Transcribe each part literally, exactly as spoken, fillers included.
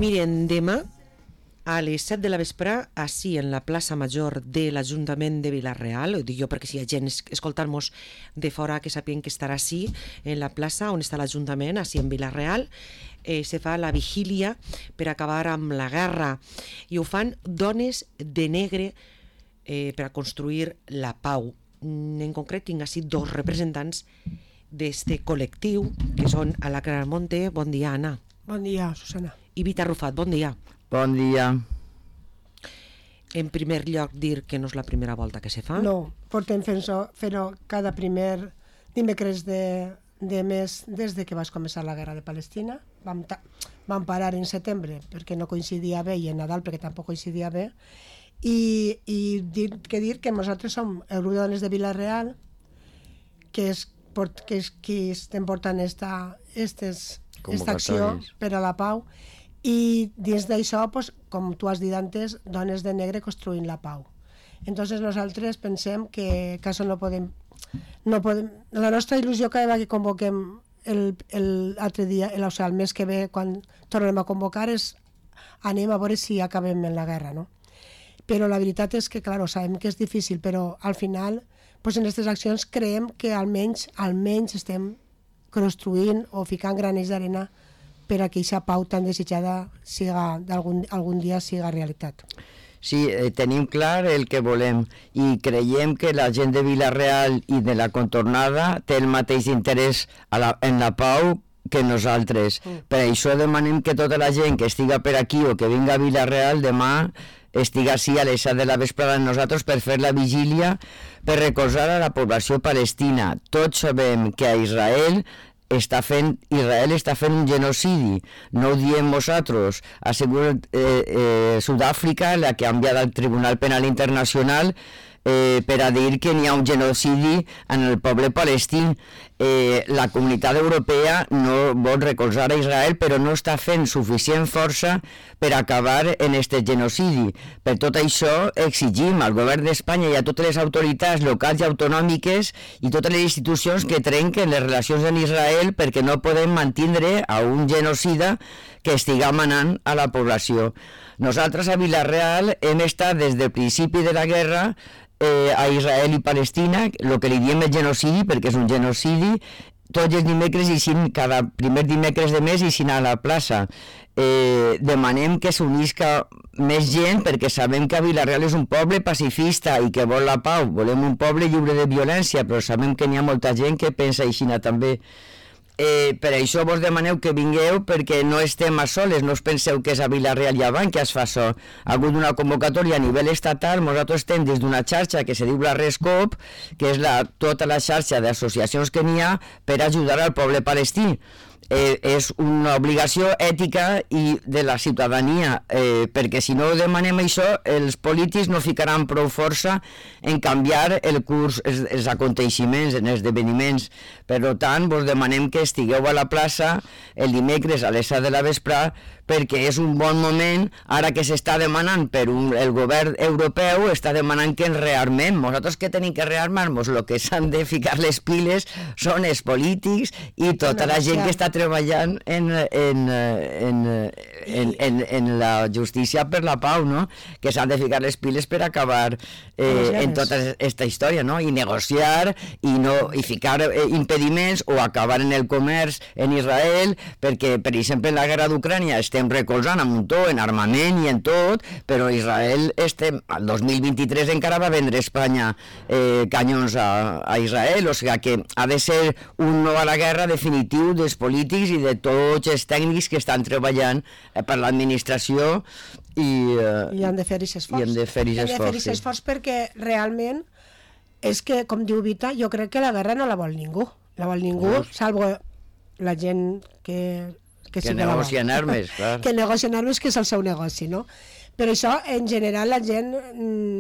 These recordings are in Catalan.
Miren, demà a les set de la vespre, així en la plaça Major de l'Ajuntament de Vila-real, ho dic jo perquè si hi ha gent escoltant-nos de fora que sapien que estarà així, en la plaça on està l'Ajuntament, així en Vila-real, eh, se fa la vigília per acabar amb la guerra i ho fan dones de negre eh, per a construir la pau. En concret tinc així dos representants d'este col·lectiu que són Alacra Almonte, bon dia Anna. Bon dia Susana. I Vita Rufat, bon dia. Bon dia. En primer lloc, dir que no és la primera volta que se fa. No, portem fent-ho cada primer dimecres de, de mes des de que va començar la guerra de Palestina. Vam, vam parar en setembre perquè no coincidia bé i en Nadal perquè tampoc coincidia bé. I, i dir, que dir que nosaltres som el grup de dones de Vila-real, que és, que és qui estem portant esta, estes, esta acció per a la pau. I dins d'això, pues, com tu has dit antes, dones de negre construint la pau. Entonces nosaltres pensem que, que això no podem, no podem... La nostra il·lusió cada vegada que convoquem l'altre dia, el, o sigui, el mes que ve, quan tornem a convocar, és anem a veure si acabem en la guerra, no? Però la veritat és que, clar, sabem que és difícil, però al final, pues, en aquestes accions creiem que almenys, almenys estem construint o ficant granells d'arena per a que aquesta pau tan desitjada siga, algun, algun dia siga realitat. Sí, eh, tenim clar el que volem i creiem que la gent de Vila-real i de la contornada té el mateix interès a la, en la pau que nosaltres. Mm. Per això demanem que tota la gent que estiga per aquí o que vinga a Vila-real demà estiga així a les set de la vesprada amb nosaltres per fer la vigília, per recolzar a la població palestina. Tots sabem que a Israel està fent, Israel està fent un genocidi, no ho diem nosaltres, ha sigut eh, eh, Sud-àfrica la que ha enviat al Tribunal Penal Internacional eh, per a dir que n'hi ha un genocidi en el poble palestí. Eh, la comunitat europea no vol recolzar a Israel, però no està fent suficient força per acabar en este genocidi. Per tot això exigim al govern d'Espanya i a totes les autoritats locals i autonòmiques i totes les institucions que trenquen les relacions amb Israel perquè no podem mantindre a un genocida que estiga manant a la població. Nosaltres a Vila-real hem estat des del principi de la guerra Eh, a Israel i Palestina, el que li diem el genocidi, perquè és un genocidi, tots els dimecres i sin, cada primer dimecres de mes i sin a la plaça. Eh, demanem que s'unisca més gent perquè sabem que Vila-real és un poble pacifista i que vol la pau. Volem un poble lliure de violència, però sabem que n'hi ha molta gent que pensa així també. Eh, per això vos demaneu que vingueu perquè no estem a soles, no us penseu que és a Vila-real i avant que es fa això. Ha hagut una convocatòria a nivell estatal, nosaltres estem des d'una xarxa que se diu la RESCOP, que és la, tota la xarxa d'associacions que n'hi ha per ajudar al poble palestí. Eh, és una obligació ètica i de la ciutadania, eh, perquè si no demanem això, els polítics no ficaran prou força en canviar el curs, els, els aconteixements, els esdeveniments. Per tant, vos demanem que estigueu a la plaça el dimecres a les set de la vesprà, perquè és un bon moment, ara que s'està demanant per un, el govern europeu, està demanant que ens rearmem. Nosaltres que tenim que rearmar-nos, el que s'han de ficar les piles són els polítics i tota la gent que està treballant en, en, en, en, en, en la justícia per la pau, no? Que s'han de ficar les piles per acabar eh, en tota aquesta història, no? I negociar i, no, i ficar eh, impediments o acabar en el comerç en Israel, perquè, per exemple, en la guerra d'Ucrània estem recolzant a muntó en armament i en tot, però Israel estem, al dos mil vint-i-tres encara va vendre Espanya eh, canyons a, a Israel, o sigui que ha de ser un no a la guerra definitiu dels polítics i de tots els tècnics que estan treballant eh, per l'administració i, eh, I han de fer aquest esforç. I han de fer aquest esforç, sí. esforç perquè realment és que, com diu Vita, jo crec que la guerra no la vol ningú. La vol ningú, no. Salvo la gent que... Que, que negocien armes, clar. Que negocien armes, que és el seu negoci, no? però això, en general, la gent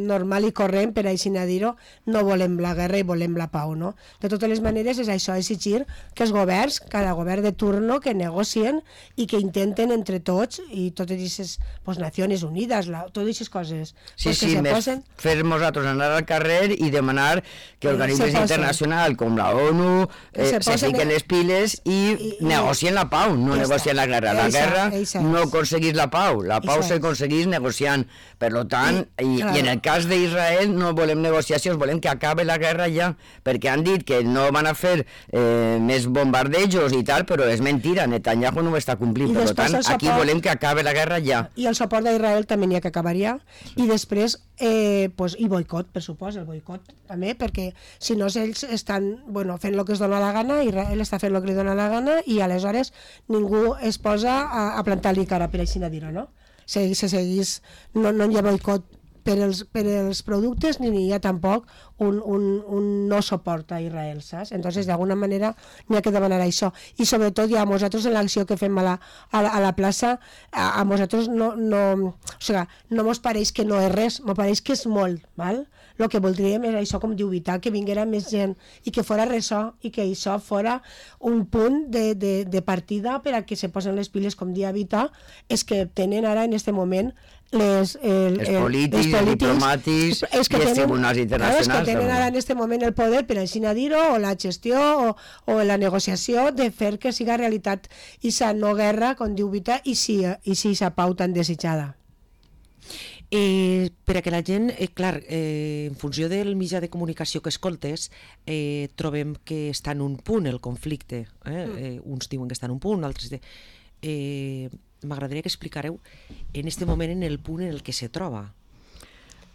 normal i corrent, per així a dir-ho, no volem la guerra i volem la pau, no? De totes les maneres, és això, exigir que els governs, cada govern de turno, que negocien i que intenten entre tots, i totes aquestes pues, Nacions Unides, la, totes aquestes coses, sí, pues, sí, que se més posen... fer nosaltres anar al carrer i demanar que organismes internacionals com la ONU eh, se, se fiquen les piles i, i, i negocien la pau, no negocien la guerra. La guerra no aconseguís la pau, la pau s'aconseguís negociant. Per tant, i, i en el cas d'Israel no volem negociacions, volem que acabe la guerra ja, perquè han dit que no van a fer eh, més bombardejos i tal, però és mentira, Netanyahu no ho està complint. Per tant, aquí volem que acabe la guerra ja. I el suport d'Israel també n'hi ha que acabaria, i després, eh, pues, i boicot, per supost, el boicot també, perquè si no ells estan bueno, fent el que es dona la gana, Israel està fent el que li dona la gana, i aleshores ningú es posa a, a plantar-li cara, per així dir-ho, no? Se, se seguís, no, no hi ha boicot per els, per els productes, ni hi ha tampoc un, un, un no suport a Israel, saps? Entonces, d'alguna manera, n'hi ha que demanar això. I sobretot, ja, a nosaltres, en l'acció que fem a la, a la, a la plaça, a, a nosaltres no, no, o sigui, no mos pareix que no és res, mos pareix que és molt, val? El que voldríem és això, com diu Vita, que vinguera més gent i que fora ressò i que això fora un punt de, de, de partida per a que se posen les piles, com dia Vita, és que tenen ara en aquest moment les, el, els polítics, els diplomàtics i els tribunals internacionals. Claro, que tenen ara en aquest moment el poder, per així dir-ho, o la gestió o, o la negociació de fer que siga realitat aquesta no guerra, com diu Vita, i si, i si aquesta pau tan desitjada. Eh, per a que la gent, eh, clar, eh, en funció del mitjà de comunicació que escoltes, eh, trobem que està en un punt el conflicte. Eh? Eh, uns diuen que està en un punt, altres... De... Eh, M'agradaria que explicareu en aquest moment en el punt en el que se troba.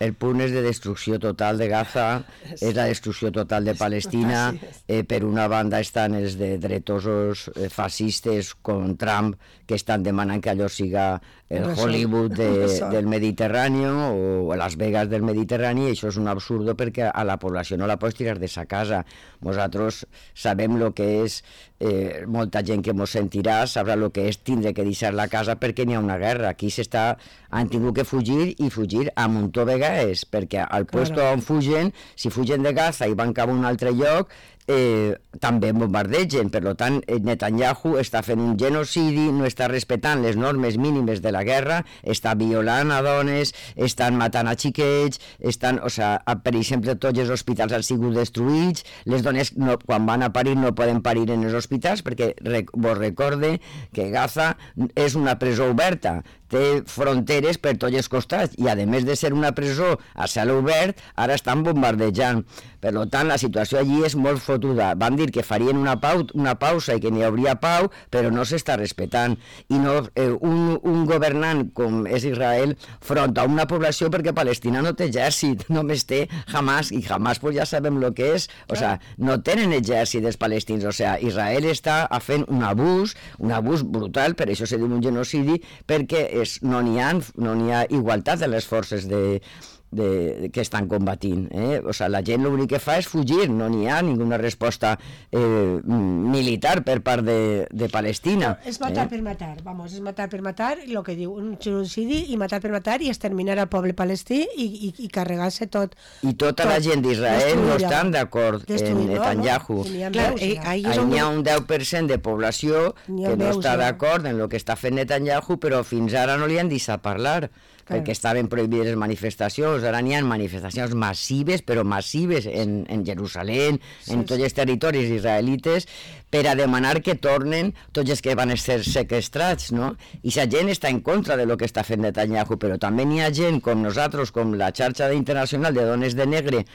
El punt és de destrucció total de Gaza, és la destrucció total de Palestina. Eh, per una banda estan els de dretosos eh, fascistes com Trump, que estan demanant que allò siga el Hollywood de, del Mediterrani o Las Vegas del Mediterrani, i això és un absurdo perquè a la població no la pots tirar de sa casa. Nosaltres sabem el que és, eh, molta gent que mos sentirà sabrà el que és tindre que deixar la casa perquè n'hi ha una guerra. Aquí s'està, han tingut que fugir i fugir a muntó vegades, perquè al puesto on fugen, si fugen de Gaza i van cap a un altre lloc, Eh, també bombardegen. Per tant, Netanyahu està fent un genocidi, no està respectant les normes mínimes de la guerra, està violant a dones, estan matant a xiquets, estan, o sea, per exemple, tots els hospitals han sigut destruïts, les dones no, quan van a parir no poden parir en els hospitals perquè rec, vos recorde que Gaza és una presó oberta, té fronteres per tots els costats i a més de ser una presó a cel obert, ara estan bombardejant. Per tant, la situació allí és molt fotuda. Van dir que farien una, pau, una pausa i que n'hi hauria pau, però no s'està respectant. I no, eh, un, un governant com és Israel front a una població, perquè Palestina no té exèrcit, només té Hamas, i Hamas pues, ja sabem el que és, o sea, no tenen exèrcit els palestins, o sea, Israel està fent un abús, un abús brutal, per això se diu un genocidi, perquè és, no n'hi ha, no n'hi ha igualtat de les forces de, de, de, que estan combatint. Eh? O sea, la gent l'únic que fa és fugir, no n'hi ha ninguna resposta eh, militar per part de, de Palestina. No, és matar eh? per matar, vamos, és matar per matar, el que diu, un genocidi, i matar per matar i exterminar al poble palestí i, i, i carregar-se tot. I tota tot, la gent d'Israel no estan d'acord en Netanyahu. No? Clar, eh, ahí hi ha un deu per cent de població que no està d'acord en el que està fent Netanyahu, però fins ara no li han deixat parlar, perquè estaven prohibides les manifestacions. Ara n'hi ha manifestacions massives, però massives en, en Jerusalem, sí, en tots els territoris israelites, per a demanar que tornen tots els que van ser sequestrats, no? I la gent està en contra de lo que està fent Netanyahu, però també n'hi ha gent com nosaltres, com la xarxa internacional de dones de negre,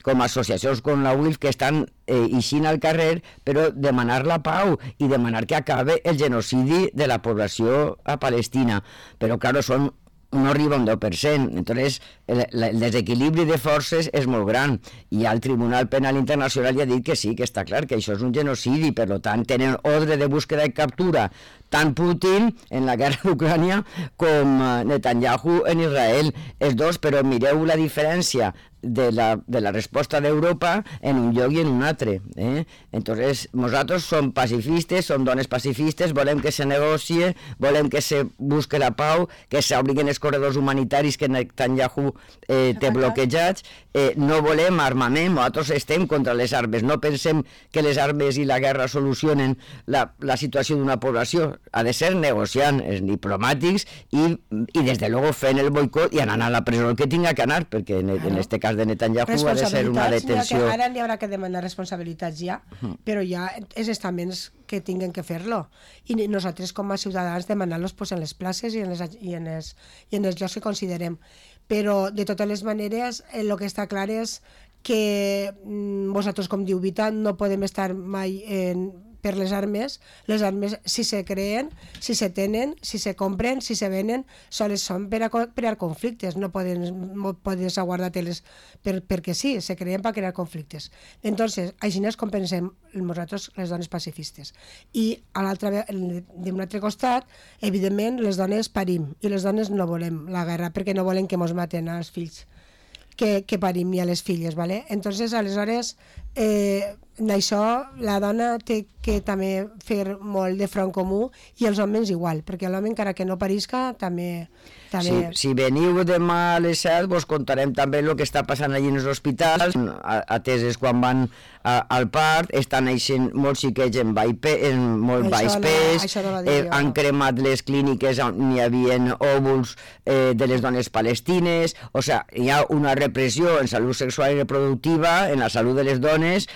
com associacions com la U I L F, que estan eh, eixint al carrer, però demanar la pau i demanar que acabe el genocidi de la població a Palestina. Però, clar, són no arriba a un deu per cent. Entonces, el, el desequilibri de forces és molt gran, i el Tribunal Penal Internacional ja ha dit que sí, que està clar, que això és un genocidi, per tant, tenen ordre de búsqueda i captura tant Putin en la guerra d'Ucrània com Netanyahu en Israel, els dos, però mireu la diferència de la, de la resposta d'Europa en un lloc i en un altre. Eh? Entonces, nosaltres som pacifistes, som dones pacifistes, volem que se negocie, volem que se busque la pau, que s'obriguen els corredors humanitaris que Netanyahu eh, té bloquejats, eh, no volem armament, nosaltres estem contra les armes, no pensem que les armes i la guerra solucionen la, la situació d'una població, ha de ser negociant, els diplomàtics i, i des de luego fent el boicot i anant a la presó que tinga que anar, perquè en, en este cas de Netanyahu ha de ser una detenció. Que ara n'hi haurà que demanar responsabilitats ja, uh-huh. però ja els estaments que tinguen que fer-lo. I nosaltres com a ciutadans demanar-los pues, en les places i en, les, i, en els, i en els llocs que considerem. Però de totes les maneres el que està clar és que mm, vosaltres com diu Vita no podem estar mai en per les armes, les armes si se creen, si se tenen, si se compren, si se venen, soles són per a crear conflictes, no poden, no podes aguardar-te-les per, perquè sí, se creen per crear conflictes. Entonces, així és com pensem nosaltres les dones pacifistes. I a l'altre, d'un altre costat, evidentment, les dones parim, i les dones no volem la guerra, perquè no volen que mos maten als fills que, que parim i a les filles, ¿vale? Entonces, aleshores, eh, en això la dona té que també fer molt de front comú i els homes igual, perquè l'home encara que no parisca també... també... Si, si veniu demà a les set vos contarem també el que està passant allí en els hospitals, ateses quan van a, al part, estan eixint molts xiquets en, vaipe, en molt baix pes, no, no eh, han cremat les clíniques on hi havia òvuls eh, de les dones palestines, o sigui, hi ha una repressió en salut sexual i reproductiva, en la salut de les dones,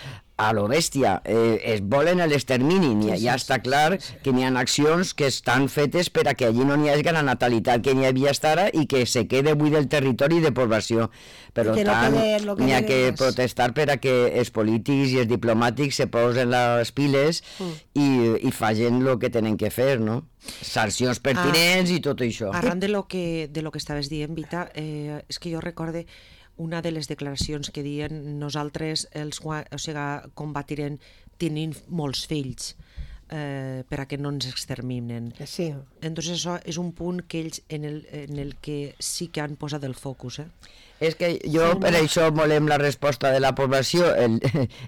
a lo bèstia, eh, es volen l'extermini, ja, ja està clar que n'hi ha accions que estan fetes per a que allí no n'hi hagi la natalitat que n'hi havia estar ara i que se quede buit del territori de població. Per tant, no n'hi ha que protestar per a que els polítics i els diplomàtics se posen les piles mm. i, i facin el que tenen que fer, no? Sancions pertinents ah, i tot això. Arran de lo que, de lo que estaves dient, Vita, eh, és que jo recorde una de les declaracions que diuen nosaltres els, o sigui, combatirem tenint molts fills eh, per a que no ens exterminen. Sí. Entonces això és un punt que ells en el, en el que sí que han posat el focus. Eh? És que jo sí, per no. això volem la resposta de la població. El,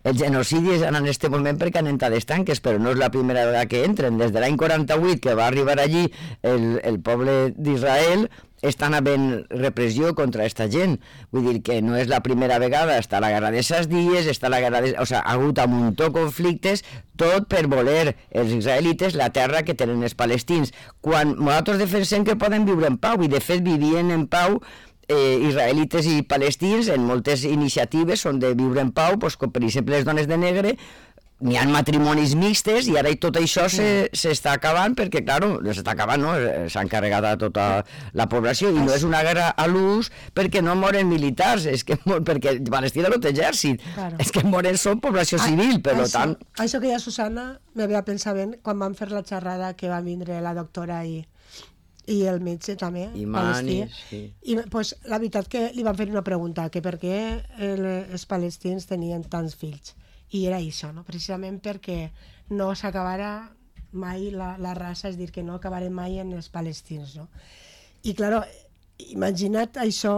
el genocidi és en aquest moment perquè han entrat els tanques, però no és la primera vegada que entren. Des de l'any quaranta-vuit que va arribar allí el, el poble d'Israel, estan havent repressió contra aquesta gent. Vull dir que no és la primera vegada, està la guerra de ses dies, està la guerra de... O sigui, ha hagut un muntó de conflictes, tot per voler els israelites la terra que tenen els palestins. Quan nosaltres defensem que poden viure en pau, i de fet vivien en pau eh, israelites i palestins en moltes iniciatives on de viure en pau, doncs, com per exemple les dones de negre, n'hi ha matrimonis mixtes i ara tot això s'està acabant perquè, clar, s'està acabant, no? S'han carregat a tota la població i no és una guerra a l'ús perquè no moren militars, és que perquè Palestina no té exèrcit, claro. És que moren són població civil, per això, tant... Això que ja Susana m'havia pensat ben quan vam fer la xerrada que va vindre la doctora i, i el metge també, I Manis, sí. I pues, la veritat que li van fer una pregunta, que per què el, els palestins tenien tants fills. I era això, no? Precisament perquè no s'acabara mai la, la raça, és dir, que no acabarem mai en els palestins, no? I, clar, imagina't això,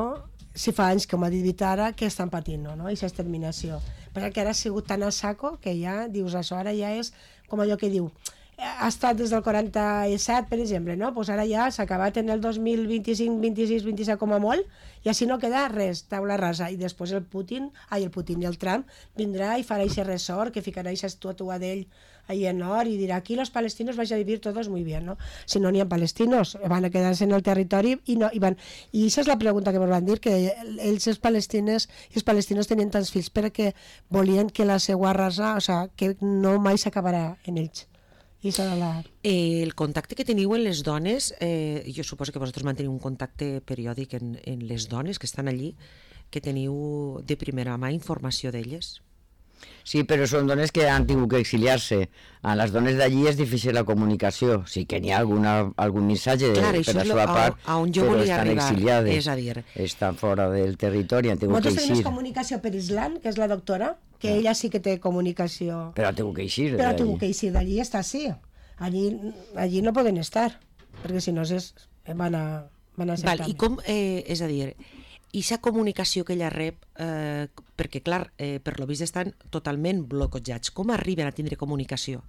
si fa anys, com ha dit Vita ara, que estan patint, no? Aquesta exterminació. Perquè ara ha sigut tan a saco que ja, dius, això ara ja és com allò que diu, ha estat des del quaranta-set, per exemple, no? Pues ara ja s'ha acabat en el dos mil vint-i-cinc, vint-i-sis, vint-i-set com a molt, i així no queda res, taula rasa. I després el Putin, ai, el Putin i el Trump vindrà i farà aquest ressort, que ficarà aquesta estàtua d'ell ahí en or i dirà, aquí los palestinos vais a vivir todos muy bien, no? Si no n'hi ha palestinos, van a quedar-se en el territori i no, i van... I això és la pregunta que ens van dir, que ells, els palestines, els palestinos tenien tants fills perquè volien que la seva raça, o sigui, que no mai s'acabarà en ells. La... Eh, el contacte que teniu en les dones, eh, jo suposo que vosaltres manteniu un contacte periòdic en, en les dones que estan allí, que teniu de primera mà informació d'elles. Sí, però són dones que han tingut que exiliar-se. A les dones d'allí és difícil la comunicació. Sí que n'hi ha alguna, algun missatge de, Clar, per la seva part, a, a on jo però volia estan arribar, exiliades. És a dir... Estan fora del territori, han tingut que eixir. Moltes tenim comunicació per Islam, que és la doctora, que ella sí que té comunicació. Però ha tingut que eixir. Però ha tingut que eixir d'allí, està sí. allí, allí no poden estar, perquè si no es, van a, van a ser Val, i com, eh, és a dir, i aquesta comunicació que ella rep, eh, perquè clar, eh, per lo vist estan totalment bloquejats, com arriben a tindre comunicació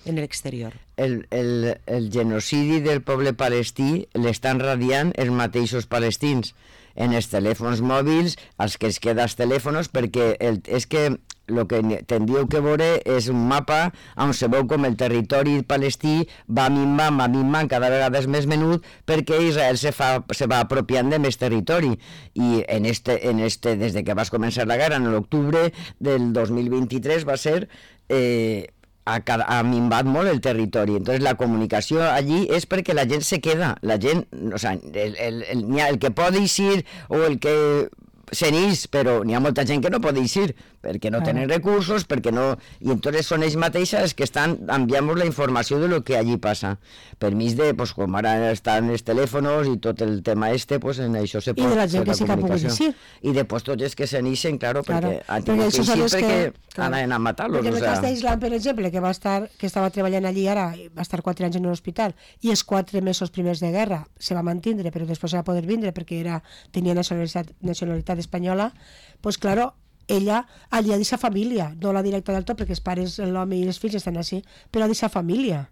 en l'exterior? El, el, el genocidi del poble palestí l'estan radiant els mateixos palestins en els telèfons mòbils, els que es queda els telèfons, perquè el, és que el que tindríeu que veure és un mapa on se veu com el territori palestí va minvant, va minvant, cada vegada és més menut, perquè Israel se, fa, se va apropiant de més territori. I en este, en este, des de que va començar la guerra, en l'octubre del dos mil vint-i-tres, va ser... Eh, ha, ha minvat molt el territori. Entonces la comunicació allí és perquè la gent se queda, la gent, o sea, el, el, el, el, el que pot eixir o el que se n'ix, però n'hi ha molta gent que no pot eixir perquè no tenen recursos, perquè no... I entonces són ells mateixes que estan enviant la informació de lo que allí passa. Per mig de, pues, com ara estan els telèfons i tot el tema este, pues en això se pot... I de la gent que sí que pugui eixir. I després tots els que se n'ixen, claro, perquè claro. han tingut que eixir perquè que, anaven a matar-los. Perquè en el o sea... cas d'Islam, per exemple, que va estar, que estava treballant allí ara, va estar quatre anys en un hospital, i els quatre mesos primers de guerra se va mantindre, però després va poder vindre perquè era, tenia nacionalitat, nacionalitat espanyola, pues claro, ella allà deixa família, no la directa del tot, perquè els pares, l'home i els fills estan així, però deixa família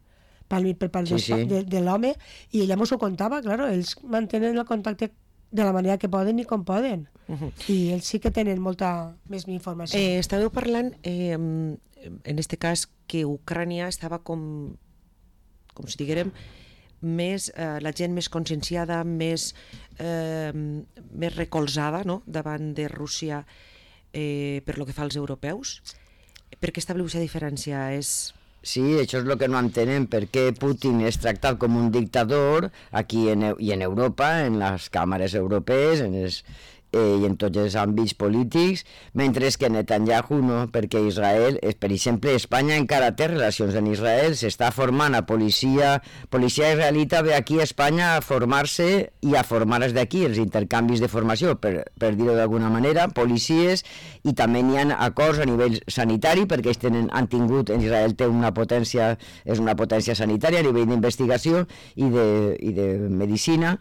per, per part sí, sí. de, de l'home, i ella mos ho contava, claro, ells mantenen el contacte de la manera que poden i com poden. Uh-huh. I ells sí que tenen molta més informació. Eh, estàveu parlant, eh, en este cas, que Ucrània estava com, com si diguérem, més, eh, la gent més conscienciada, més, eh, més recolzada, no?, davant de Rússia eh, per lo que fa als europeus. Per què estableu aquesta diferència? És... Sí, això és el que no entenen, per què Putin és tractat com un dictador aquí en, i en Europa, en les càmeres europees, en els, eh, i en tots els àmbits polítics, mentre que Netanyahu no, perquè Israel, per exemple, Espanya encara té relacions en Israel, s'està formant a policia, policia israelita ve aquí a Espanya a formar-se i a formar-se d'aquí, els intercanvis de formació, per, per dir-ho d'alguna manera, policies, i també n'hi ha acords a nivell sanitari, perquè ells tenen, han tingut, en Israel té una potència, és una potència sanitària a nivell d'investigació i de, i de medicina.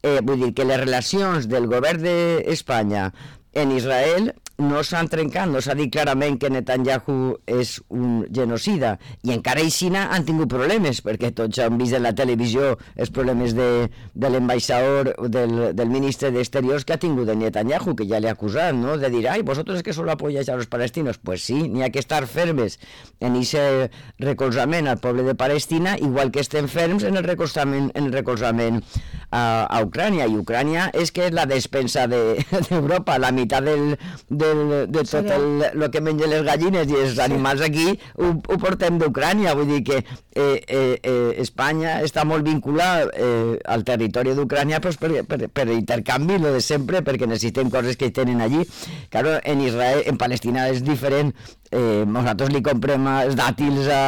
Eh, vull dir que les relacions del govern d'Espanya en Israel no s'han trencat, no s'ha dit clarament que Netanyahu és un genocida, i encara així han tingut problemes, perquè tots han vist en la televisió els problemes de, de l'ambaixador, del, del ministre d'Exteriors que ha tingut de Netanyahu, que ja l'ha acusat, no?, de dir, ai, vosotros que solo apoyáis a los palestinos. Pues sí, n'hi ha que estar fermes en aquest recolzament al poble de Palestina, igual que estem ferms en el recolzament, en el recolzament a, a Ucrània, i Ucrània és que és la despensa d'Europa, de, la meitat del, del, de tot el, el que mengen les gallines i els animals aquí ho, ho portem d'Ucrània, vull dir que eh, eh, eh, Espanya està molt vinculada eh, al territori d'Ucrània pues, per, per, per intercanvi, lo de sempre, perquè necessitem coses que tenen allí. Claro, en Israel, en Palestina és diferent, eh, nosaltres li comprem els dàtils a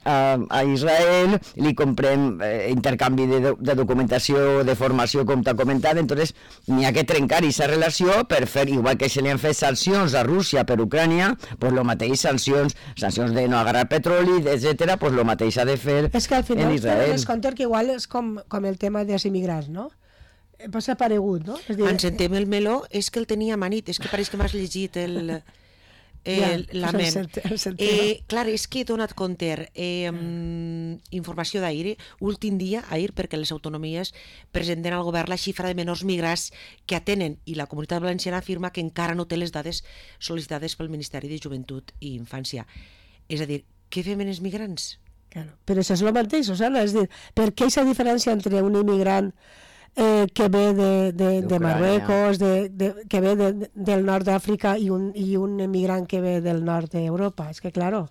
A, a Israel, li comprem eh, intercanvi de, de documentació, de formació, com t'ha comentat, entonces n'hi ha que trencar aquesta relació per fer, igual que se li han fet sancions a Rússia per Ucrània, pues lo mateix, sancions, sancions de no agarrar petroli, etcètera, pues lo mateix ha de fer en Israel. És que al final es compte que igual és com, com el tema dels immigrants, no? Passa paregut, no? És dir... Ens entem el meló, és que el tenia amanit, és que pareix que m'has llegit el... Eh, ja, la ment. Eh, clar, és que he donat compte eh, informació d'ahir, últim dia, ahir, perquè les autonomies presenten al govern la xifra de menors migrats que atenen, i la Comunitat Valenciana afirma que encara no té les dades sol·licitades pel Ministeri de Joventut i Infància. És a dir, què fem en els migrants? Claro. Però això és el mateix, o sigui, és dir, per què aquesta diferència entre un immigrant Eh, que ve de, de, de Marruecos, de, de, que ve de, de, del nord d'Àfrica i un, i un emigrant que ve del nord d'Europa? És que, claro,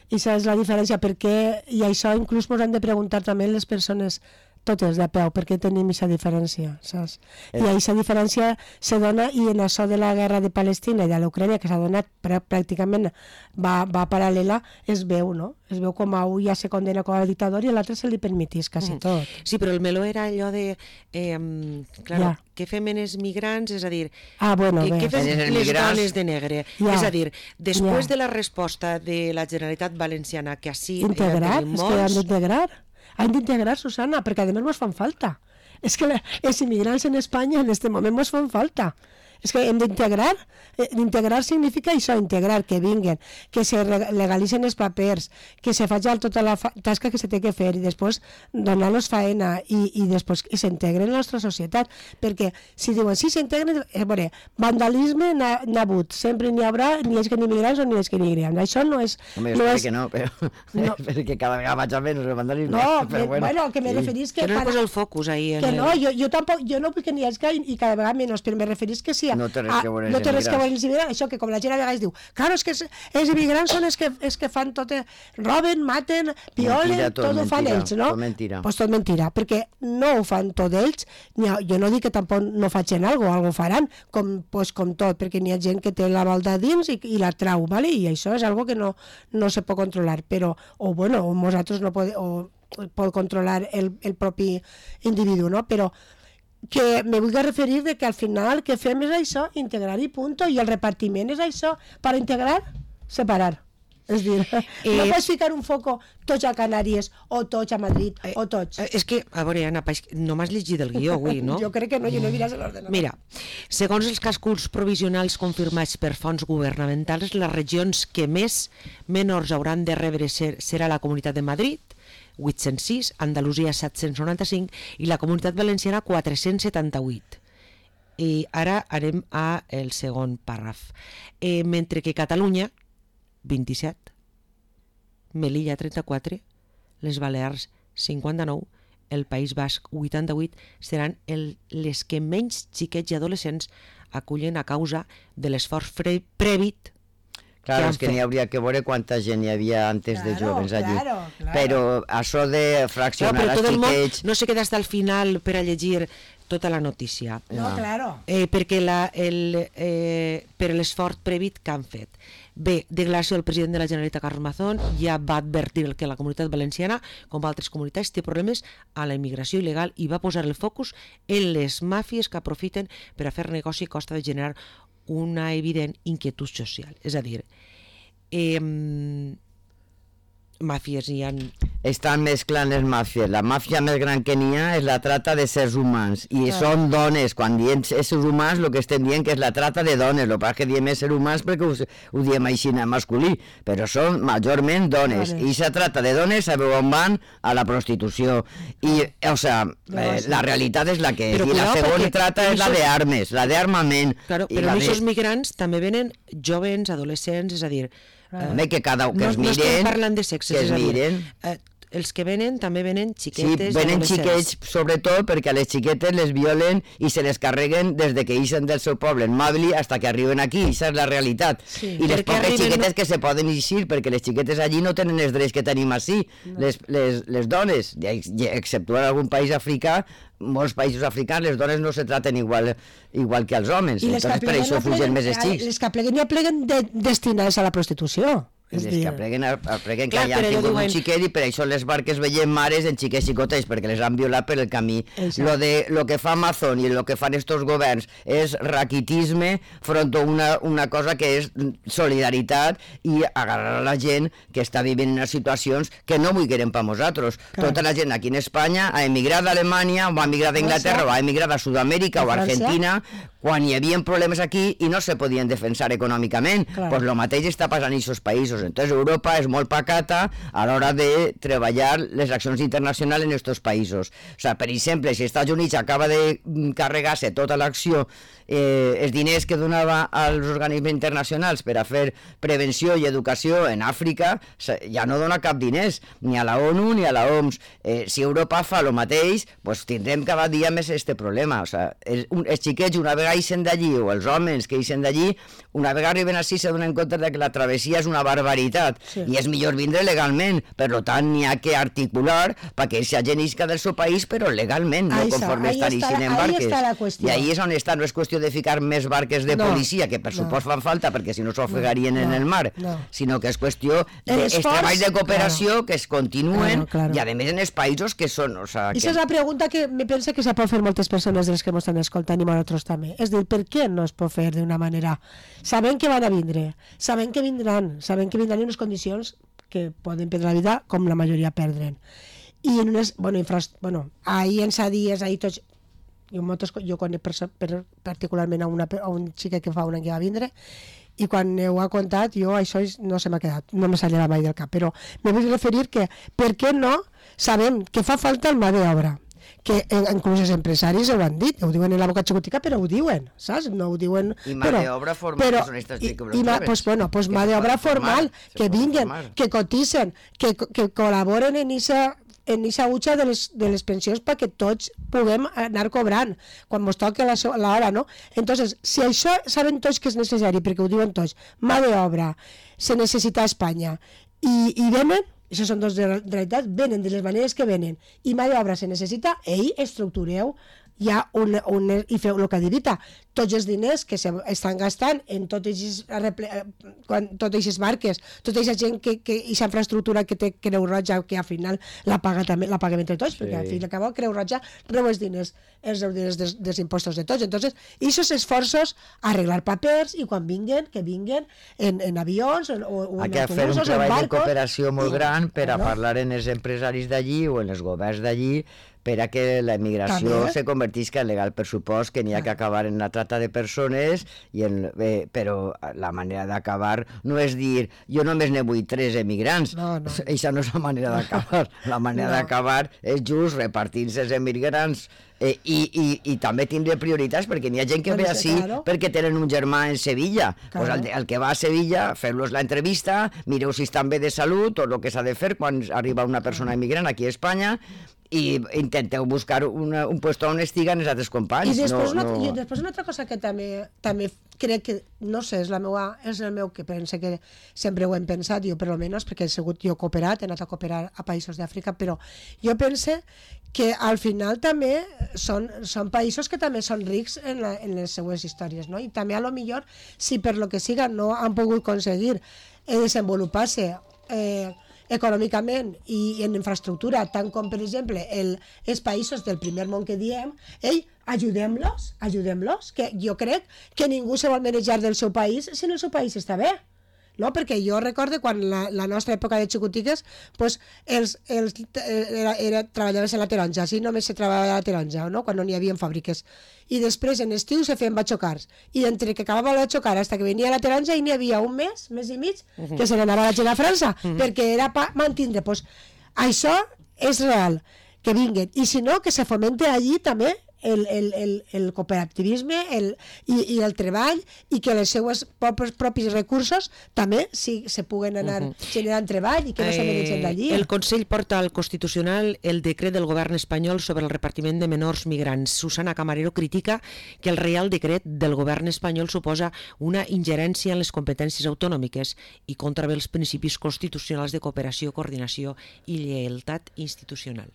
aquesta és la diferència, perquè, i això inclús ens han de preguntar també les persones totes de peu, perquè tenim aquesta diferència, saps? I aquesta diferència se dona, i en això de la guerra de Palestina i de l'Ucrània, que s'ha donat pràcticament, va, va paral·lela, es veu, no? Es veu com a un ja se condena com a dictador i a l'altre se li permetís quasi tot. Sí, però el meló era allò de, eh, claro, ja. Què fem en els migrants? És a dir, ah, bueno, eh, què fem les migrants... dones de negre? Ja. És a dir, després ja. de la resposta de la Generalitat Valenciana, que així... Integrar? És que han d'integrar. Han d'integrar, Susana, perquè a més mos fan falta. És que els immigrants en Espanya en aquest moment mos fan falta. És que hem d'integrar. Integrar significa això, integrar, que vinguen, que se legalitzen els papers, que se faci tota la tasca que se té que fer i després donar-los faena i, i després que s'integren en la nostra societat. Perquè si diuen, sí, s'integren, eh, veure, vandalisme n'ha hagut, sempre n'hi haurà, ni és que ni immigrants o ni és que ni immigrants. Això no és... Home, jo no és... que no, però... no. perquè cada vegada vaig a menys el vandalisme. No, però bueno, bueno, que me sí. referís que... Que no para... posa el focus ahí. En que el... no, jo, jo tampoc, jo no vull que n'hi hagi i cada vegada menys, però me referís que sí. No té res que veure no té res que veure els immigrants. Això que com la gent a vegades diu, claro, és que els immigrants són els que, els que fan tot, roben, maten, violen, mentira, tot, tot ho fan ells, no? Tot mentira. Pues tot mentira, perquè no ho fan tot ells, ha, jo no dic que tampoc no facin alguna cosa, alguna faran, com, pues, com tot, perquè n'hi ha gent que té la balda dins i, i la trau, ¿vale? I això és algo que no, no se pot controlar, però, o bueno, o nosaltres no podem, o pot controlar el, el propi individu, no? Però que me vull referir de que al final que fem és això, integrar i punto, i el repartiment és això, per integrar, separar. És dir, eh, no pots ficar un foco tots a Canàries, o tots a Madrid, eh, o tots. Eh, és que, a veure, Anna, no m'has llegit el guió avui, no? Jo crec que no, jo no miràs l'ordenador. Mira, segons els càlculs provisionals confirmats per fons governamentals, les regions que més menors hauran de rebre ser, serà la Comunitat de Madrid, vuit-cents sis, Andalusia set-cents noranta-cinc i la Comunitat Valenciana quatre-cents setanta-vuit. I ara anem a el segon pàrraf. Eh, mentre que Catalunya, vint-i-set, Melilla, trenta-quatre, les Balears, cinquanta-nou, el País Basc, vuitanta-vuit, seran el, les que menys xiquets i adolescents acullen a causa de l'esforç prèvit. Claro, és que n'hi hauria que veure quanta gent hi havia antes claro, de joves allí. Claro, claro. Però això de fraccionar no, els xiquets... No se queda hasta el final per a llegir tota la notícia. No, claro. Eh, perquè la, el, eh, per l'esforç prèvit que han fet. Bé, declaració del president de la Generalitat, Carles Mazón, ja va advertir que la Comunitat Valenciana, com altres comunitats, té problemes a la immigració il·legal i va posar el focus en les màfies que aprofiten per a fer negoci a costa de generar una evident inquietud social. És a dir, eh, màfies hi ha... Estan mesclant les màfies. La màfia més gran que n'hi ha és la trata de sers humans. I ah. són dones. Quan diem éssers humans, el que estem dient que és la trata de dones. El que passa que diem éssers humans perquè ho, ho diem així en masculí. Però són majorment dones. dones. I se trata de dones, sabeu on van? A la prostitució. I, o sea, eh, la realitat és la que és. Però, I la segona trata és la d'armes, la d'armament. Claro, però aquests de... migrants també venen jovens, adolescents, és a dir... Home, que cada que no, es miren, no estem parlant de sexes, que es miren. Eh, els que venen també venen xiquetes. Sí, venen xiquets sobretot perquè a les xiquetes les violen i se les carreguen des de que ixen del seu poble en Màbili fins que arriben aquí, això és la realitat. Sí. I les poques arriben... xiquetes que se poden eixir, perquè les xiquetes allí no tenen els drets que tenim així, no. les, les, les dones, exceptuant algun país africà, molts països africans les dones no se traten igual, igual que els homes, i entonces per això fugen més els xics. Les que pleguen ja pleguen de, destinades a la prostitució. És les que apreguen, apreguen que ja han tingut diuen... un xiquet i per això les barques veiem mares en xiquets xicotets perquè les han violat per el camí. Lo, de, lo que fa Amazon i lo que fan estos governs és raquitisme front a una, una cosa que és solidaritat i agarrar a la gent que està vivint en situacions que no vulguem per nosaltres. Clar. Tota la gent aquí en Espanya ha emigrat d'Alemanya o ha emigrat d'Inglaterra o ha emigrat a Sud-amèrica o a Argentina quan hi havia problemes aquí i no se podien defensar econòmicament. Doncs pues lo mateix està passant en aquests països. Entonces Europa és molt pacata a l'hora de treballar les accions internacionals en aquests països. O sea, per exemple, si Estats Units acaba de carregar-se tota l'acció, eh, els diners que donava als organismes internacionals per a fer prevenció i educació en Àfrica, ja no dona cap diners, ni a la ONU ni a la O M S. Eh, si Europa fa el mateix, pues tindrem cada dia més este problema. O sea, els, els xiquets una vegada ixen d'allí, o els homes que ixen d'allí, una vegada arriben així se donen compte de que la travessia és una barbaritat barbaritat. Sí. I és millor vindre legalment. Per tant, n'hi ha que articular perquè esa gent isca del seu país, però legalment, no Ahí está, conforme ahí estan está ixint la- en ahí barques. está la cuestión. I ahí és on està, no és qüestió de ficar més barques de No, policia, que per no. supost fan falta, perquè si no s'ofegarien No, en el mar, no. sinó que és qüestió El dels esforç, treballs de cooperació claro. que es continuen, Claro, claro. i a més en els països que són... O sea, I que... esa és la pregunta que me pensa que se pot fer moltes persones de les que ens estan escoltant i nosaltres també. És dir, per què no es pot fer d'una manera? Sabem que van a vindre, sabem que vindran, sabem que vindran en unes condicions que poden perdre la vida com la majoria perdren. I en unes, bueno, infras, bueno ahir en sa dies, ahir tots, jo, moltes, jo conec per, per, particularment a, una, a un xica que fa un any que va vindre, i quan ho ha contat, jo això no se m'ha quedat, no me salirà mai del cap, però me vull referir que, per què no sabem que fa falta el mà d'obra, que inclús els empresaris ho han dit, ho diuen en la boca xicotica, però ho diuen, saps? No ho diuen... I mà però, d'obra formal, però, que són estas i, que i mà, pues, bueno, pues mà d'obra formal, que vinguen, que cotitzen, que, que col·laboren en esa en aquesta utxa de les, de les pensions perquè tots puguem anar cobrant quan ens toca l'hora, no? Entonces, si això saben tots que és necessari, perquè ho diuen tots, mà d'obra, se necessita a Espanya, i, i venen, això són dues realitats, venen de les maneres que venen, i mà d'obra se necessita, ei, estructureu ja un, un, i feu el que ha dit Rita, tots els diners que se estan gastant en totes aquestes barques, tota aquesta gent que, que aquesta infraestructura que té Creu Roja, que al final la paga també, la paguem entre tots, sí. Perquè al fin i al cabo Creu Roja reu els diners, els diners dels, dels impostos de tots. Entonces, aquests esforços, arreglar papers, i quan vinguen, que vinguen en, en avions o, o en autobusos, autobusos, un treball en de barcos, cooperació molt i, gran per a claro. parlar en els empresaris d'allí o en els governs d'allí per a que la immigració També. se convertisca en legal. Per supost que n'hi ha que acabar en la trata de persones, i en, eh, però la manera d'acabar no és dir jo només ne vull tres emigrants. No, no. Eixa no és la manera d'acabar. La manera No. d'acabar és just repartir-se els emigrants eh, i, i, i també tindre prioritats, perquè n'hi ha gent que Bueno, ve sí, així claro. perquè tenen un germà en Sevilla. Claro. Pues el, el que va a Sevilla, fer-los la entrevista, mireu si estan bé de salut, tot el que s'ha de fer quan arriba una persona immigrant aquí a Espanya, i intenteu buscar una, un puesto on estiguen els altres companys. I després, no, una, no... i després una altra cosa que també, també crec que, no sé, és, la meua, és el meu que pense que sempre ho hem pensat, jo per almenys, perquè he sigut jo cooperat, he anat a cooperar a països d'Àfrica, però jo pense que al final també són, són països que també són rics en, la, en les seues històries, no? I també a lo millor, si per lo que siga no han pogut aconseguir eh, desenvolupar-se eh, econòmicament i en infraestructura, tant com per exemple el, els països del primer món que diem, ei, ajudem-los, ajudem-los, que jo crec que ningú se vol manejar del seu país si en el seu país està bé. No? Perquè jo recordo quan la, la nostra època de xicotiques, pues, els, els, era, era, treballaves en la taronja, així només se treballava a la taronja, no? Quan no n'hi havia fàbriques. I després en estiu se feien batxocars. I entre que acabava el batxocar fins que venia la taronja i n'hi havia un mes, mes i mig, que se n'anava la gent a França, uh -huh. perquè era per mantindre. Pues, això és real, que vinguen. I si no, que se fomente allí també el, el, el, el cooperativisme el, i, i el treball, i que els seus propis, propis recursos també si, se puguen anar uh -huh. generant treball i que no eh, se mereixen d'allí. El Consell porta al Constitucional el decret del govern espanyol sobre el repartiment de menors migrants. Susana Camarero critica que el Reial Decret del govern espanyol suposa una ingerència en les competències autonòmiques i contravé els principis constitucionals de cooperació, coordinació i lleialtat institucional.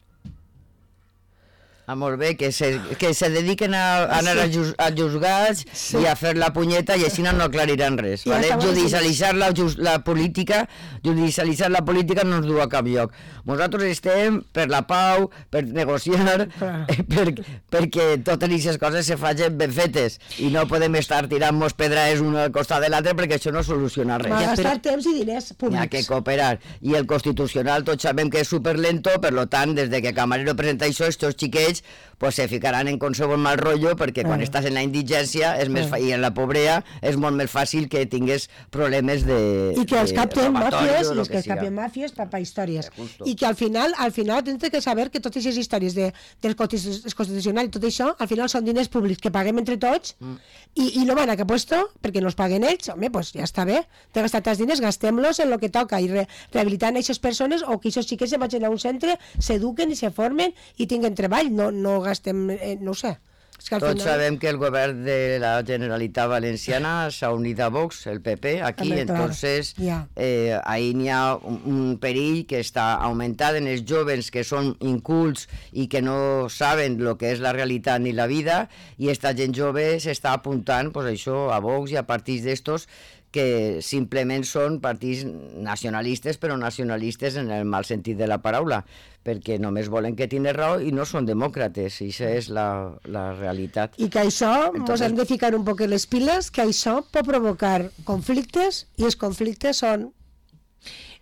Ah, molt bé, que se, que se dediquen a, a anar a, juz, a juzgats sí. i a fer la punyeta i així no aclariran res. Vale? Judicialitzar la, la política, judicialitzar la política no ens du a cap lloc. Nosaltres estem per la pau, per negociar, eh, per, perquè totes aquestes coses se facin ben fetes i no podem estar tirant-nos pedraes una al costat de l'altre perquè això no soluciona res. Va gastar temps i diners públics. Hi ha que cooperar. I el Constitucional tots sabem que és superlento, per lo tant, des de que Camarero presenta això, estos xiquets pues se ficaran en qualsevol mal rotllo perquè quan eh. estàs en la indigència és més, eh. i en la pobrea és molt més fàcil que tingues problemes de i que els capten màfies i els que, que els capten màfies per, per històries eh, i que al final al final tens que saber que totes aquestes històries de, del Constitucional i tot això al final són diners públics que paguem entre tots mm. i, i no van a cap puesto perquè no els paguen ells, home, pues ja està bé t'he gastat els diners, gastem-los en el que toca i re, rehabilitant aquestes persones o que aquests xiquets se vagin a un centre, s'eduquen i se formen i tinguen treball, no, no gastem, eh, no ho sé. És que al Tots final... sabem que el govern de la Generalitat Valenciana s'ha unit a Vox, el P P, aquí, També, clar, entonces ja. eh, ahí n'hi ha un, un perill que està augmentant en els joves que són incults i que no saben el que és la realitat ni la vida, i esta gent jove s'està apuntant pues, això, a Vox i a partits d'estos que simplement són partits nacionalistes, però nacionalistes en el mal sentit de la paraula, perquè només volen que tingui raó i no són demòcrates, i això és la, la realitat. I que això, ens Entonces... hem de ficar un poc en les piles, que això pot provocar conflictes, i els conflictes són...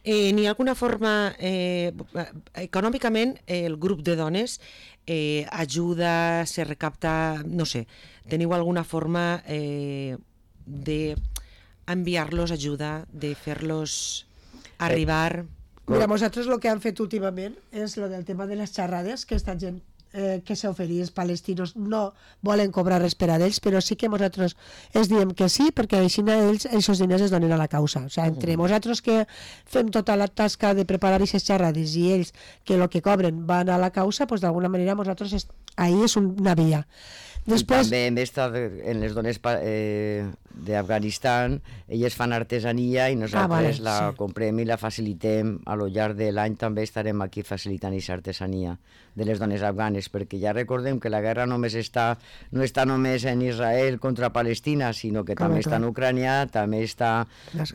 Eh, N'hi ha alguna forma, eh, econòmicament, eh, el grup de dones eh, ajuda, se recapta, no sé, teniu alguna forma eh, de enviar-los ajuda, de fer-los arribar... Mira, nosaltres el que han fet últimament és el del tema de les xerrades, que esta gent eh, que s'oferís els palestinos no volen cobrar res per a ells, però sí que nosaltres els diem que sí, perquè així ells, els diners es donen a la causa. O sigui, entre nosaltres que fem tota la tasca de preparar aquestes xerrades i ells que el que cobren van a la causa, doncs d'alguna manera nosaltres est... ahí és una via. Després... I també hem estat en les dones eh, d'Afganistan, elles fan artesania i nosaltres ah, vale, la sí. comprem i la facilitem. A lo llarg de l'any també estarem aquí facilitant aquesta artesania de les dones afganes, perquè ja recordem que la guerra només està, no està només en Israel contra Palestina, sinó que també està en Ucrània, també està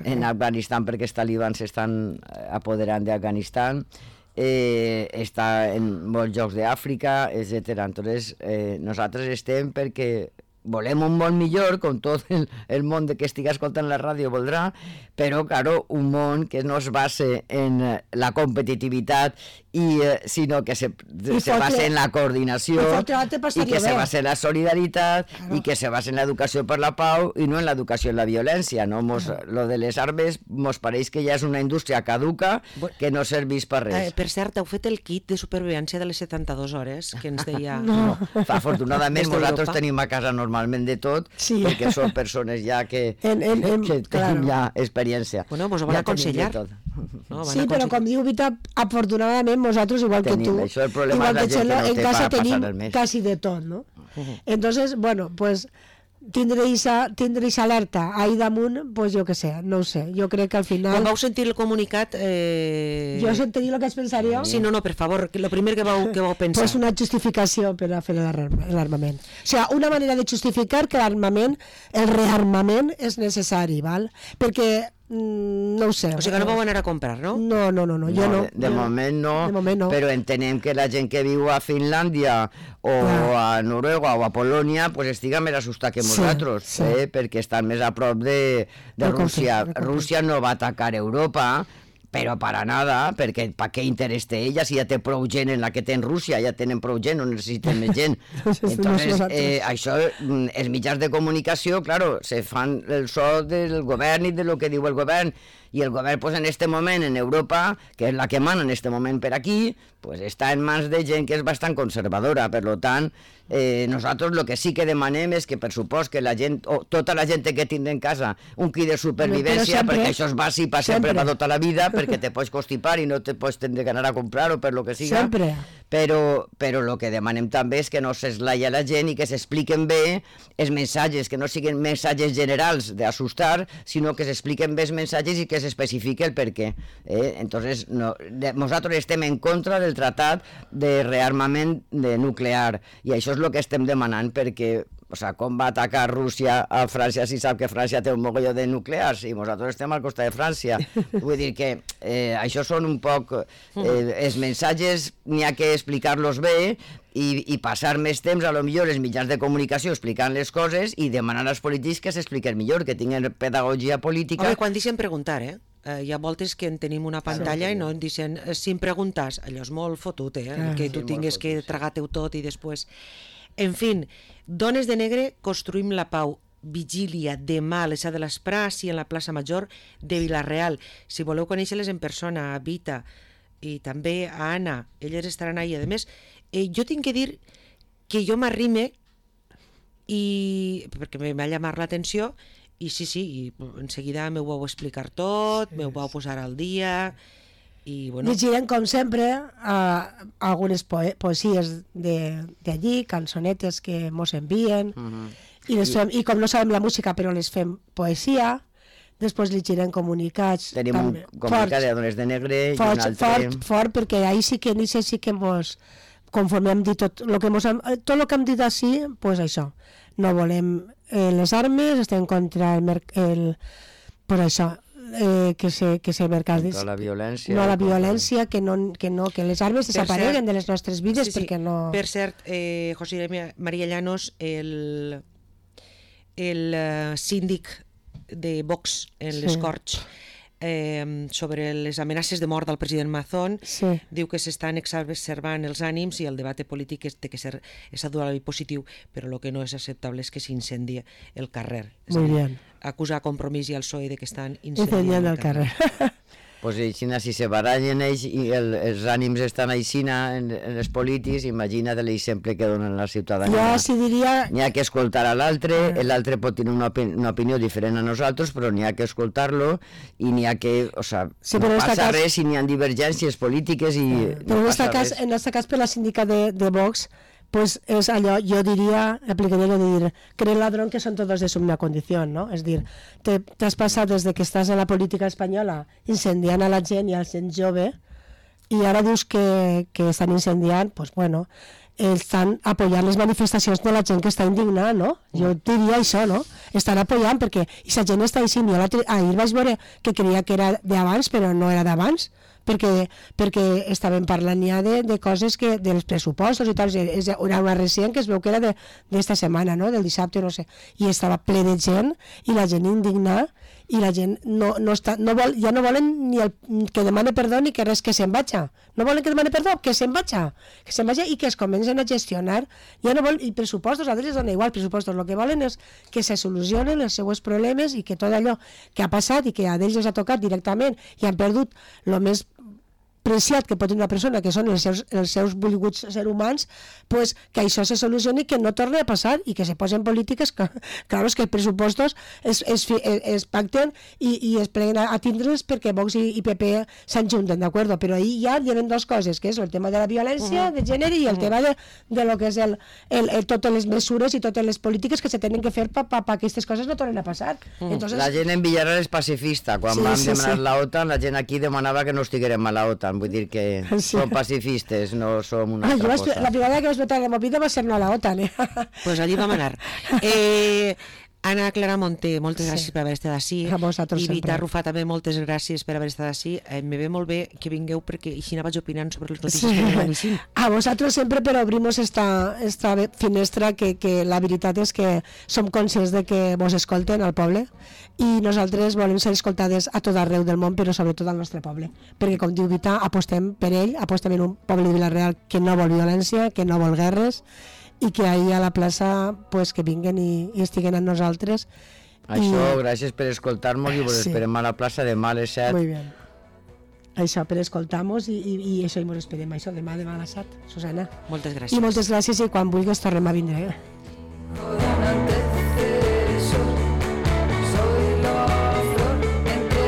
en Afganistan perquè els talibans s'estan apoderant d'Afganistan, Eh, està en molts llocs d'Àfrica, etcètera. Entonces, eh, nosaltres estem perquè volem un món millor, com tot el, el món de que estigui escoltant la ràdio voldrà, però, claro, un món que no es base en la competitivitat, i, eh, sinó que se, se base en la coordinació, i, i que se base en la solidaritat, claro. I que se base en l'educació per la pau, i no en l'educació en la violència. No? Mos, claro. Lo de les armes mos pareix que ja és una indústria caduca que no serveix per res. Eh, per cert, heu fet el kit de supervivència de les setanta-dues hores, que ens deia... No. No. Afortunadament, nosaltres tenim a casa normalment de tot, sí. perquè són persones ja que, en, en, en, que tenim claro. ja experiència. Bueno, vos ho van ja aconsellar. No, van sí, però com diu Vita, afortunadament nosaltres, igual tenim, que tu, això el problema igual que Xelo, no en casa tenim quasi de tot, ¿no? Uh-huh. Entonces, bueno, pues tindre aquesta alerta ahí damunt, pues jo que sé, no ho sé, jo crec que al final... Quan vau sentir el comunicat... Eh... Jo sentiria el que es pensaria... Sí, no, no, per favor, el primer que vau, que vau pensar. Pues una justificació per a fer l'armament. O sigui, una manera de justificar que l'armament, el rearmament és necessari, val? Perquè no ho sé. O sigui que no vau anar a comprar, no? No, no, no, no jo no. De, de, no. Moment no, de moment no, però entenem que la gent que viu a Finlàndia o ah. a Noruega o a Polònia pues estiga més assustat que nosaltres, sí, sí. Eh? perquè estan més a prop de, de Rússia. Rússia no va atacar Europa, però para nada, perquè pa què interès té ella si ja té prou gent en la que té en Rússia, ja tenen prou gent, no necessiten més gent. Entonces, eh, això, els mitjans de comunicació, claro, se fan el so del govern i de lo que diu el govern, i el govern, pues, en este moment, en Europa, que és la que mana en este moment per aquí, pues, està en mans de gent que és bastant conservadora, per lo tant, eh, nosaltres el que sí que demanem és que, per supost, que la gent, o tota la gent que tindre en casa un kit de supervivència, sempre, perquè això és bàsic per sempre, per tota la vida, perquè te pots constipar i no te pots tindre que anar a comprar-ho per lo que siga. Sempre. Però, però el que demanem també és que no s'eslaia la gent i que s'expliquen bé els missatges, que no siguin missatges generals d'assustar, sinó que s'expliquen bé els missatges i que s'especifique el per què. Eh? Entonces, no, de, nosaltres estem en contra del tractat de rearmament de nuclear, i això és el que estem demanant, perquè o sea, com va atacar Rússia a França si sap que França té un mogolló de nuclears i nosaltres estem al costat de França? Vull dir que eh, això són un poc eh, els missatges, n'hi ha que explicar-los bé i, i passar més temps a lo millor els mitjans de comunicació explicant les coses i demanar als polítics que s'expliquen millor, que tinguin pedagogia política. Home, quan deixen preguntar, eh? Uh, hi ha voltes que en tenim una pantalla sí, sí. i no en dicen, sin preguntes, allò és molt fotut, eh? Ah, que tu sí, tingues que tragar-te-ho tot i després... En fin, Dones de Negre, construïm la pau. Vigília demà a les set de l'esprà, sí, en la plaça Major de Vila-real. Si voleu conèixer-les en persona, a Vita i també a Anna, elles estaran ahí. A més, eh, jo tinc que dir que jo m'arrime i perquè m'ha llamat l'atenció i sí, sí, i en seguida m'ho vau explicar tot, m'ho vau posar al dia I, bueno, llegirem, com sempre, uh, algunes poe poesies d'allí, cançonetes que mos envien, uh -huh. i, les fem, i com no sabem la música, però les fem poesia. Després llegirem comunicats. Tenim també, un comunicat de Dones de Negre fort, i un altre... Fort, fort, perquè ahir sí que en això sí que mos, conforme hem dit tot el que, mos, tot lo que hem dit així, pues això, no volem eh, les armes, estem contra el, el pues això, eh, que se, que se mercat... Contra la violència. No la violència, que no, que, no, que les armes desapareguen cert, de les nostres vides, sí, sí, perquè no... Per cert, eh, José María Llanos, el, el uh, síndic de Vox en sí. les Corts, eh, sobre les amenaces de mort del president Mazón, sí. diu que s'estan exacerbant els ànims i el debat polític té que ser adulari positiu, però el que no és acceptable és que s'incendia el carrer. És Muy dir, bien. Acusar a Compromís i al P S O E de que estan incendiant el el carrer. carrer. Pues aixina, si se barallen ells i el, els ànims estan aixina en, en els polítics, imagina't l'exemple que donen la ciutadania. Jo si diria... N'hi ha que escoltar a l'altre, l'altre pot tenir una, opini una opinió diferent a nosaltres, però n'hi ha que escoltar-lo i n'hi ha que... O sea, sí, no passa cas... res si n'hi ha divergències polítiques i... Però no en aquest cas, en aquest cas per la síndica de, de Vox, pues és allò, jo diria, aplicaria lo de dir, cree ladrón que son todos de su misma condición, ¿no? És dir, te, t'has passat des de que estàs en la política espanyola incendiant a la gent i a la gent jove i ara dius que, que estan incendiant, pues bueno, estan apoyant les manifestacions de la gent que està indignada, no? Jo diria això, no? Estan apoyant perquè i la gent està així. Jo ahir vaig veure que creia que era d'abans, però no era d'abans, perquè, perquè estaven parlant ja de, de coses que, dels pressupostos i tal, és, era una recent que es veu que era d'esta setmana, no? Del dissabte, no sé, i estava ple de gent i la gent indignada i la gent no, no està, no vol, ja no volen ni el, que demane perdó ni que res, que se'n vaja, no volen que demane perdó, que se'n vaja, que se'n vaja i que es comencen a gestionar, ja no volen, i pressupostos, a ells les dona igual, pressupostos, el que volen és que se solucionen els seus problemes i que tot allò que ha passat i que a ells els ha tocat directament i han perdut el més preciat que pot tenir una persona, que són els seus, els seus volguts ser humans, pues, que això se solucioni i que no torni a passar i que se posen polítiques, que, clar, que els pressupostos es, es, es, es pacten i, i es pleguen a, a tindre's perquè Vox i, i P P s'enjunten, d'acord? Però ahí ja hi ha dues coses, que és el tema de la violència uh -huh. de gènere i el uh -huh. tema de, de lo que és el, el, el, totes les mesures i totes les polítiques que se tenen que fer per pa, pa, pa que aquestes coses no tornen a passar. Uh -huh. Entonces... La gent en Villarreal és pacifista. Quan sí, vam sí, demanar sí. la OTAN, la gent aquí demanava que no estiguérem a la OTAN. Vull dir que sí. som pacifistes, no som una ah, altra vaig, cosa. La primera vegada que vaig votar la movida va ser no a la OTAN, eh? Pues allí vam anar. Eh... Anna Clara Monté, moltes gràcies sí. per haver estat ací. A vosaltres I Vita sempre. Rufà també, moltes gràcies per haver estat ací. Eh, me ve molt bé que vingueu perquè així vaig opinant sobre les notícies sí. que anem així. A vosaltres sempre per obrir-nos esta, esta finestra que, que la veritat és que som conscients de que vos escolten al poble i nosaltres volem ser escoltades a tot arreu del món, però sobretot al nostre poble. Perquè, com diu Vita, apostem per ell, apostem en un poble de Vila-real que no vol violència, que no vol guerres, i que ahir a la plaça pues, que vinguen i, i estiguen amb nosaltres. Això, I... gràcies per escoltar-nos i vos sí. esperem a la plaça demà a les set. Muy bien. Això, per escoltar-nos i, i, i això, i mos esperem això demà, demà a les set, Susana. Moltes gràcies. I moltes gràcies i quan vulguis tornem a vindre.